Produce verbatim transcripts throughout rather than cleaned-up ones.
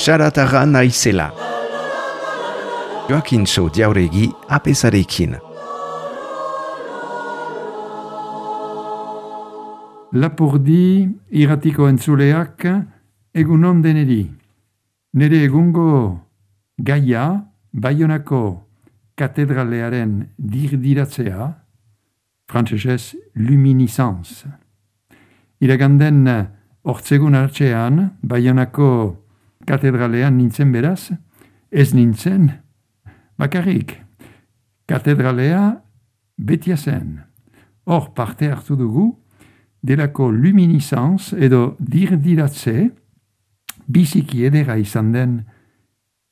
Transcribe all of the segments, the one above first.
Xaratarra naizela. Joakintxo Jauregi apesarekin. Lapurdi irratiko entzuleak egunon deneri. Nere egungo gaia Baionako katedralearen dirdiratzea, frantsesez luminiscence. Iraganden hortzegun hartzean Baionako katedralean nintzen beraz, ez nintzen, bakarrik, katedralea betia zen. Hor parte hartu dugu, delako luminiscence edo dirdiratze, biziki edera izan den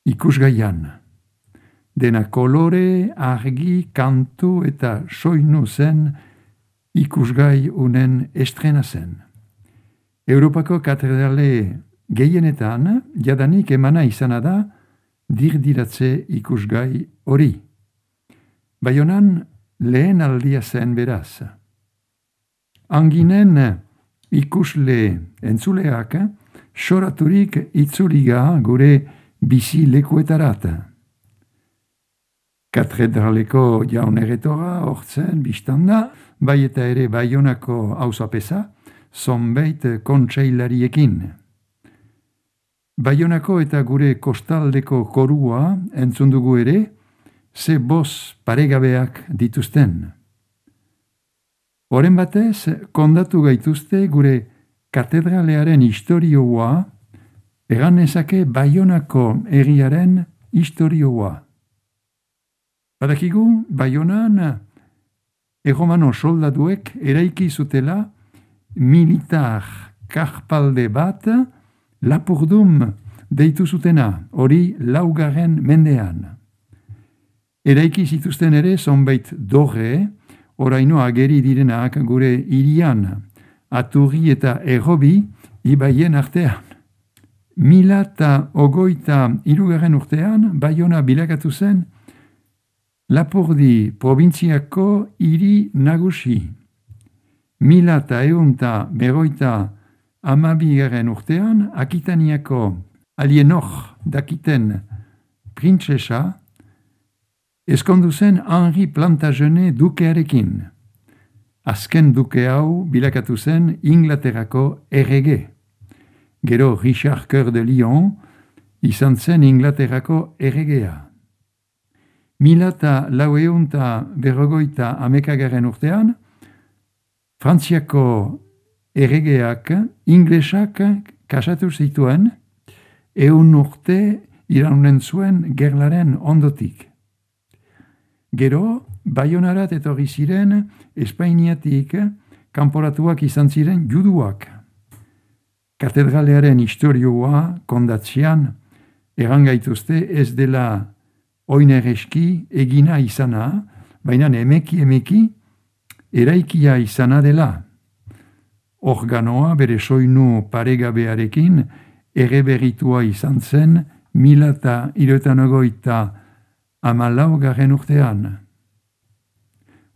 ikusgaian. Dena kolore, argi, kantu eta soinu zen ikusgai unen estrena zen. Europako katedrale gehienetan, jadanik emana izana da dirdiratze ikusgai hori. Baionan lehen aldia zen beraz. Anginen ikusle entzuleak soraturik itzuliga gure bizi lekuetarat. Katedraleko jaun erretora hortzen biztanda, bai eta ere Baionako auzapeza, zonbait kontseilariekin. Baionako eta gure kostaldeko korua entzun dugu ere, ze boz paregabeak dituzten. Horren batez, kondatu gaituzte gure katedralearen istorioa, egan ezake Baionako herriaren istorioa. Badakigu, Baionan, erromano soldaduek eraiki zutela militar karpalde bat, Lapurdum deitu zutena, hori laugarren mendean. Eraiki zituzten ere zonbait dorre, oraino ageri direnak gure hirian, Aturri eta Errobi ibaien artean. Mila eta ogoita hirugarren urtean, Baiona bilakatu zen Lapurdi probintziako hiri nagusi. Mila eta eunta berroita Amabigarren urtean, Akitaniako alienor dakiten printzesa, eskondu zen Henri Plantagenet dukearekin. Azken duke hau bilakatu zen Inglaterrako errege. Gero Richard Coeur de Lion izan zen Inglaterrako erregea. Mila eta laueunta berrogoita amekagarren urtean, Frantziako erregeak, inglesak kasatu zituen, eun urte iraunen zuen gerlaren ondotik. Gero, Baionarat etorri ziren Espainiatik kanporatuak izan ziren juduak. Katedralearen istorioa kondatzean erangaituzte ez dela oinereski egina izana, baina emeki emeki eraikia izana dela. Organoa bere soinu paregabearekin erreberitua izan zen mila eta hiruetan ogoita hamalaugarren urtean.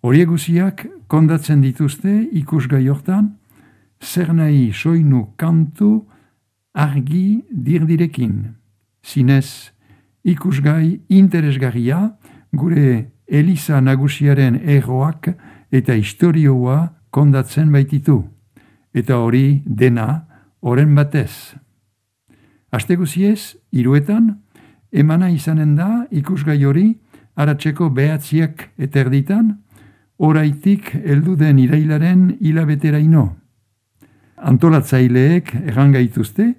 Horiek guziak kondatzen dituzte ikusgai hortan, zer nahi soinu kantu argi dirdirekin. Zinez ikusgai interesgarria gure Eliza nagusiaren erroak eta istorioa kondatzen baititu. Eta hori dena horren batez. Aste guziez, hiruetan, emana izanen da ikusgai hori aratzeko behatziak eta erditan, oraitik heldu den irailaren hilabeteraino. Antolatzaileek errangaituzte,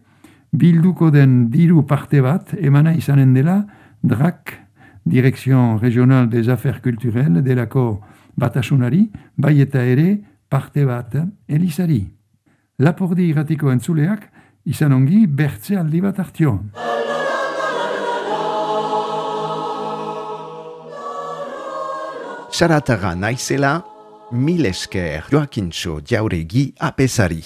bilduko den diru parte bat emana izanen dela D R A C, Direction Regional des Affaires Culturelles, delako batasunari, bai eta ere parte bat Elizari. Lapurdi irratiko entzuleak, izan ongi bertze aldi bat hartio. Xaratarra naizela, mil esker Joakintxo Jauregi apesari.